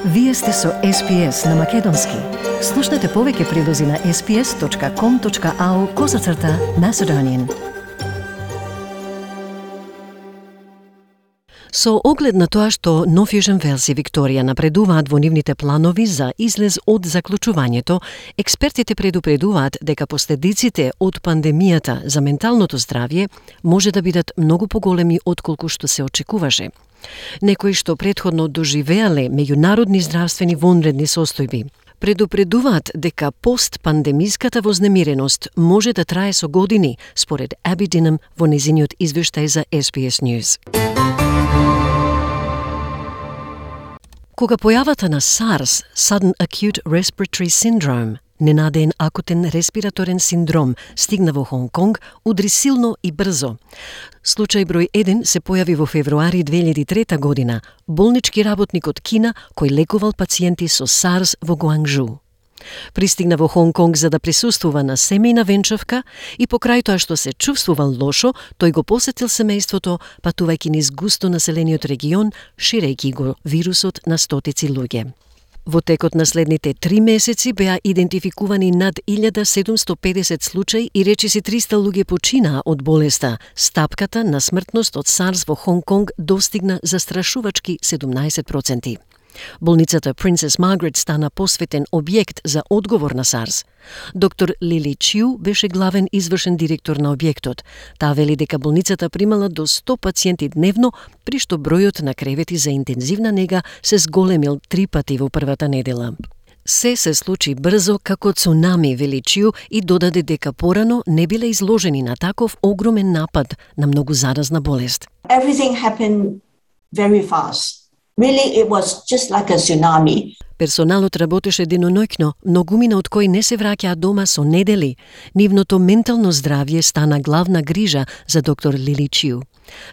Вие сте со SPS на Македонски. Слушнете повеќе прилози на sps.com.au/Macedonian. Со оглед на тоа што Нов Јужен Велс и Викторија напредуваат во нивните планови за излез од заклучувањето, експертите предупредуваат дека последиците од пандемијата за менталното здравје може да бидат многу поголеми отколку што се очекуваше. Некои што претходно доживеале меѓународни здравствени вонредни состојби предупредуваат дека постпандемиската вознемиреност може да трае со години, според Аби Динам во незиниот извештај за SBS News. Кога појавата на SARS, Sudden Acute Respiratory Syndrome, ненадеен акутен респираторен синдром, стигна во Хонг Конг, удри силно и брзо. Случај број 1 се појави во февруари 2003 година, болнички работник од Кина кој лекувал пациенти со SARS во Гуанжу. Пристигна во Хонг Конг за да присуствува на семејна венчавка и покрај тоа што се чувствувал лошо, тој го посетил семејството, патувајќи низ густо населениот регион, ширејќи го вирусот на стотици луѓе. Во текот на следните 3 месеци беа идентификувани над 1750 случаи и речиси 300 луѓе починаа од болеста. Стапката на смртност од SARS во Хонг Конг достигна застрашувачки 17%. Болницата Princess Margaret стана посветен објект за одговор на SARS. Доктор Лили Чиу беше главен извршен директор на објектот. Таа вели дека болницата примала до 100 пациенти дневно, при што бројот на кревети за интензивна нега се зголемил 3 пати во првата недела. Се случи брзо како цунами, вели Чиу, и додаде дека порано не биле изложени на таков огромен напад на многу заразна болест. Everything happened very fast. Really, it was just like a tsunami. Персоналот работеше деноноќно, многумина од кои не се враќаа дома со недели. Нивното ментално здравје стана главна грижа за доктор Лили Чиу.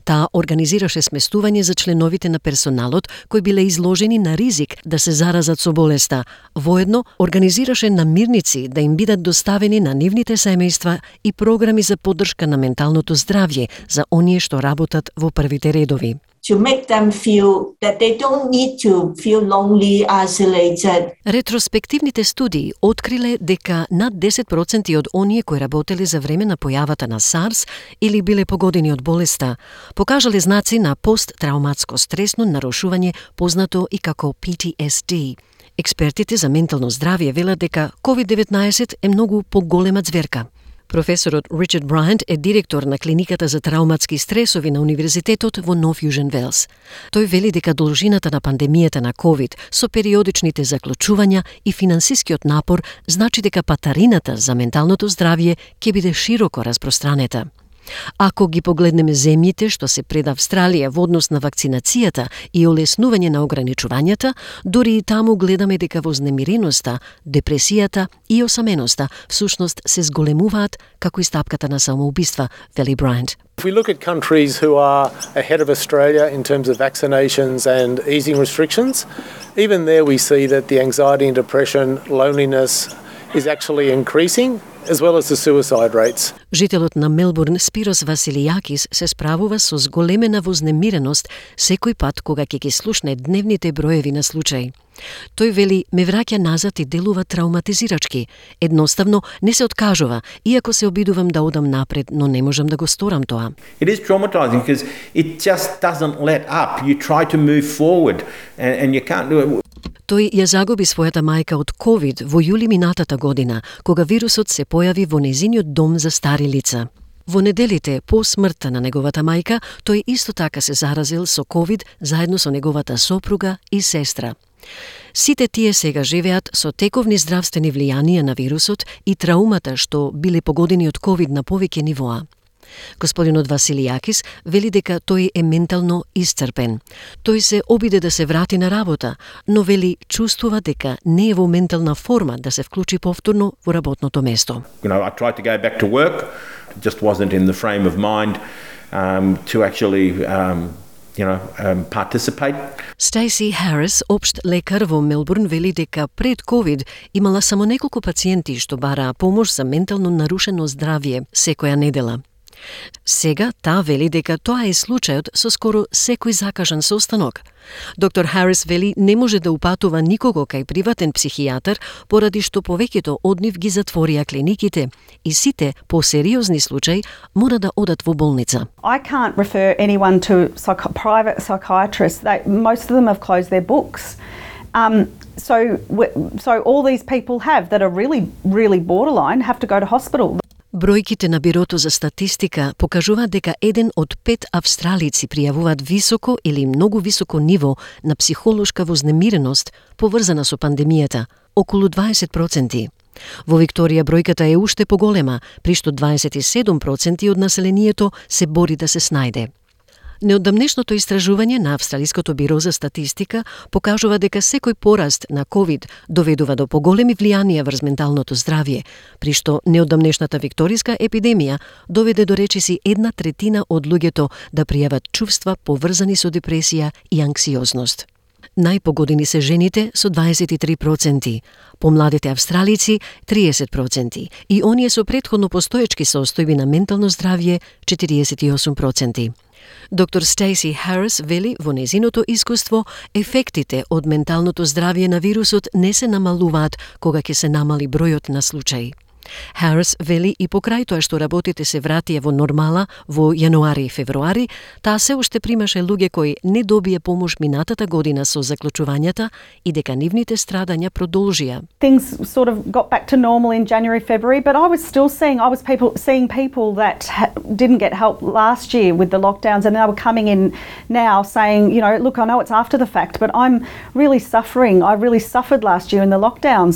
Таа организираше сместување за членовите на персоналот кои биле изложени на ризик да се заразат со болеста. Воедно организираше намирници да им бидат доставени на нивните семејства и програми за поддршка на менталното здравје за оние што работат во првите редови. To make them feel that they don't need to feel lonely, isolated. Ретроспективните студии откриле дека над 10% од оние кои работеле за време на појавата на SARS или биле погодени од болеста, покажале знаци на посттрауматско стресно нарушување, познато и како PTSD. Експертите за ментално здравје велат дека COVID-19 е многу поголема ѕверка. Професорот Ричард Брайант е директор на клиниката за трауматски стресови на Универзитетот во Нов Јужен Велс. Тој вели дека должината на пандемијата на COVID со периодичните заклучувања и финансискиот напор значи дека патарината за менталното здравје ќе биде широко распространета. Ако ги погледнеме земјите што се пред Австралија во однос на вакцинацијата и олеснување на ограничувањата, дури и таму гледаме дека вознемиреноста, депресијата и осаменоста всушност се зголемуваат како и стапката на самоубиства, вели Брайант. If we look at countries who are ahead of Australia in terms of vaccinations and easing restrictions, even there we see that the anxiety and depression, loneliness is actually increasing, as well as the suicide rates. Жителот на Мелбурн Спирос Василијакис се справува со зголемена вознемиреност секој пат кога ќе ги слушне дневните броеви на случаи. Тој вели, ме враќа назад и делува трауматизирачки. Едноставно не се откажува, иако се обидувам да одам напред, но не можам да го сторам тоа. It is traumatizing because it just doesn't let up. You try to move forward and you can't do it. Тој ја загуби својата мајка од COVID во јули минатата година, кога вирусот се појави во незиниот дом за стари лица. Во неделите по смртта на неговата мајка, тој исто така се заразил со COVID заедно со неговата сопруга и сестра. Сите тие сега живеат со тековни здравствени влијанија на вирусот и траумата што биле погодени од COVID на повеќе нивоа. Господинот Василијакис вели дека тој е ментално исцрпен. Тој се обиде да се врати на работа, но вели чувствува дека не е во ментална форма да се вклучи повторно во работното место. I tried to go back to work, just wasn't in the frame of mind to actually participate. Стейси Харис, општ лекар во Мелбурн, вели дека пред COVID имала само неколку пациенти што бараа помош за ментално нарушено здравје секоја недела. Сега таа вели дека тоа е случајот со скоро секој закажан состанок. Доктор Харис вели не може да упатува никого кај приватен психијатар поради што повеќето од нив ги затворија клиниките и сите посериозни случаи мора да одат во болница. I can't refer anyone to private psychiatrists. Most of them have closed their books. So all these people that are really borderline have to go to hospital. Бројките на Бирото за статистика покажуваат дека 1 од 5 австралици пријавуваат високо или многу високо ниво на психолошка вознемиреност поврзана со пандемијата, околу 20%. Во Викторија бројката е уште поголема, при што 27% од населението се бори да се снајде. Неодамнешното истражување на Австралиското биро за статистика покажува дека секој пораст на COVID доведува до поголеми влијанија врз менталното здравје, при што неодамнешната викториска епидемија доведе до речиси 1/3 од луѓето да пријават чувства поврзани со депресија и анксиозност. Најпогодени се жените со 23%, помладите австралици 30% и оние со претходно постоечки состојби на ментално здравје 48%. Доктор Стейси Харис вели во незиното искуство ефектите од менталното здравје на вирусот не се намалуваат кога ќе се намали бројот на случаи. Харис вели и покрај тоа што работите се вратија во нормала во јануари и февруари, таа се уште примаше луѓе кои не добие помош минатата година со заклучувањата и дека нивните страдања продолжија. Things sort of got back to normal in January, February, but I was still seeing people that didn't get help last year with the lockdowns, and they were coming in now saying, you know, look, I know it's after the fact, but I'm really suffering. I really suffered last year in the lockdowns.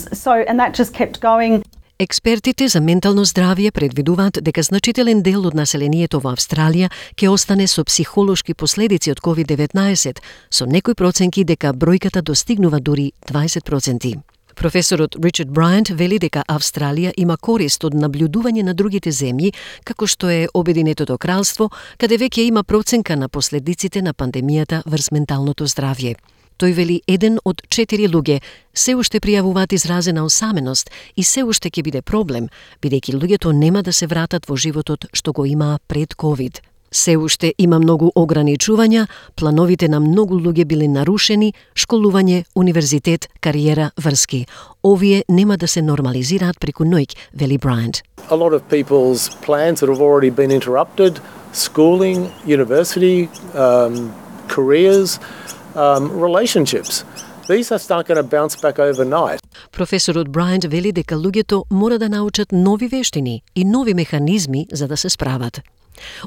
And that just kept going. Експертите за ментално здравје предвидуваат дека значителен дел од населението во Австралија ќе остане со психолошки последици од COVID-19, со некои проценки дека бројката достигнува дури 20%. Професорот Ричард Брајант вели дека Австралија има корист од наблюдување на другите земји, како што е Обединетото кралство, каде веќе има проценка на последиците на пандемијата врз менталното здравје. Тој вели 1 од 4 луѓе се уште пријавуваат изразена осаменост и се уште ќе биде проблем, бидејќи луѓето нема да се вратат во животот што го имаа пред COVID. Се уште има многу ограничувања, плановите на многу луѓе биле нарушени, школување, универзитет, кариера, врски. Овие нема да се нормализираат преку ноќ, вели Брајант. A lot of people's plans that have already been interrupted, schooling, university, careers, relationships. These are not going to bounce back overnight. Професорот Брајант вели дека луѓето мора да научат нови вештини и нови механизми за да се справат.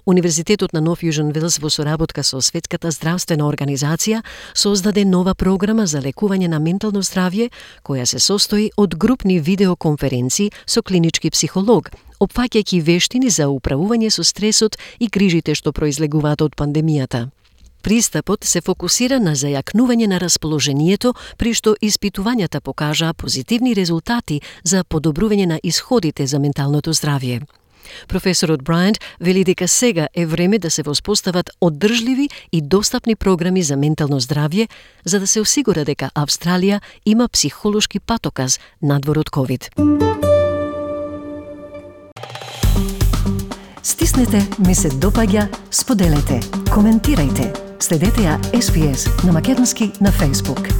Универзитетот на Нов Јужен Велс во соработка со Светската здравствена организација создаде нова програма за лекување на ментално здравје, која се состои од групни видеоконференции со клинички психолог, опфаќајќи вештини за управување со стресот и грижите што произлегуваат од пандемијата. Пристапот се фокусира на зајакнување на расположението, при што испитувањата покажаа позитивни резултати за подобрување на исходите за менталното здравје. Професорот Брајант вели дека сега е време да се воспостават одржливи и достапни програми за ментално здравје, за да се осигура дека Австралија има психолошки патоказ надвор од COVID. Стиснете, ми се допаѓа, споделете, коментирајте. Следете ја SPS на македонски на Facebook.